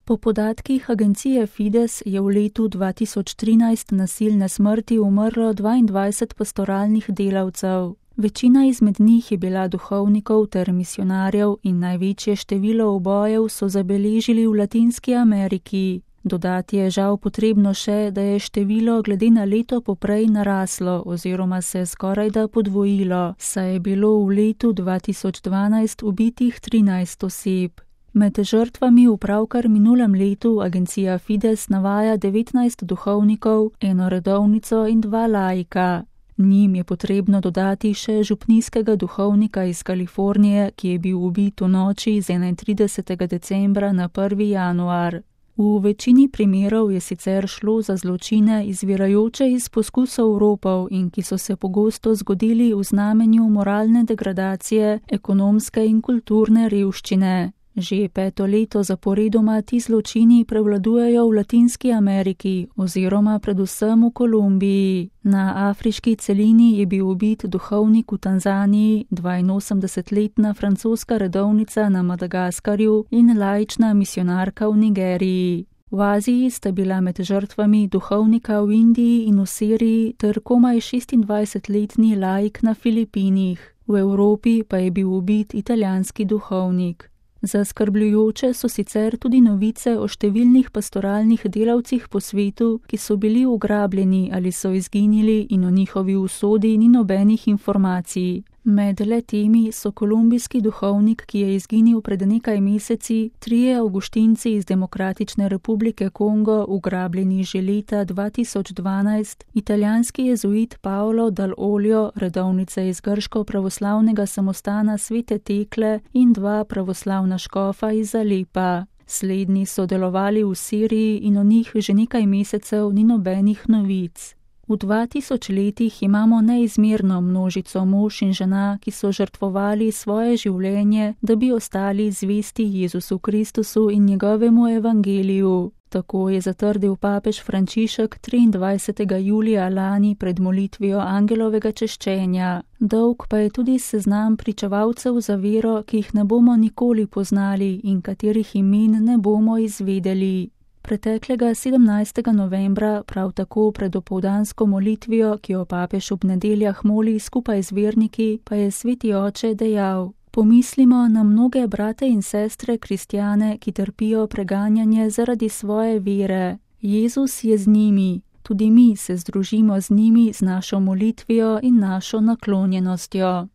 Po podatkih agencije Fides je v letu 2013 nasilne smrti umrlo 22 pastoralnih delavcev. Večina izmed njih je bila duhovnikov ter misijonarjev in največje število ubojev so zabeležili v Latinski Ameriki. Dodati je žal potrebno še, da je število glede na leto poprej naraslo oziroma se skorajda podvojilo, saj je bilo v letu 2012 ubitih 13 oseb. Med žrtvami v pravkar minulem letu agencija Fides navaja 19 duhovnikov, eno redovnico in 2 laika. Njim je potrebno dodati še župnijskega duhovnika iz Kalifornije, ki je bil ubit v noči z 31. decembra na 1. januar. V večini primerov je sicer šlo za zločine izvirajoče iz poskusov ropov in ki so se pogosto zgodili v znamenju moralne degradacije, ekonomske in kulturne revščine. Že 5. leto zaporedoma ti zločini prevladujejo v Latinski Ameriki oziroma predvsem v Kolumbiji. Na afriški celini je bil ubit duhovnik v Tanzaniji, 82-letna francoska redovnica na Madagaskarju in laična misijonarka v Nigeriji. V Aziji sta bila med žrtvami duhovnika v Indiji in v Siriji ter komaj 26-letni laik na Filipinih. V Evropi pa je bil ubit italijanski duhovnik. Zaskrbljujoče so sicer tudi novice o številnih pastoralnih delavcih po svetu, ki so bili ugrabljeni ali so izginili in o njihovi usodi ni nobenih informacij. Med le-temi so kolumbijski duhovnik, ki je izginil pred nekaj meseci, 3 avguštinci iz Demokratične republike Kongo, ugrabljeni že leta 2012, italijanski jezuit Paolo Dal Olio, redovnica iz grško-pravoslavnega samostana Svete Tekle in 2 pravoslavna škofa iz Alepa. Slednji so delovali v Siriji in o njih že nekaj mesecev ni nobenih novic. V 2000 letih imamo neizmerno množico mož in žena, ki so žrtvovali svoje življenje, da bi ostali zvesti Jezusu Kristusu in njegovemu evangeliju. Tako je zatrdil papež Frančišek 23. julija lani pred molitvijo angelovega češčenja. Dolg pa je tudi seznam pričevalcev za vero, ki jih ne bomo nikoli poznali in katerih imen ne bomo izvedeli. Preteklega 17. novembra, prav tako pred opoldansko molitvijo, ki jo papež ob nedeljah moli skupaj z verniki, pa je sveti oče dejal: Pomislimo na mnoge brate in sestre kristjane, ki trpijo preganjanje zaradi svoje vere. Jezus je z njimi, tudi mi se združimo z njimi z našo molitvijo in našo naklonjenostjo.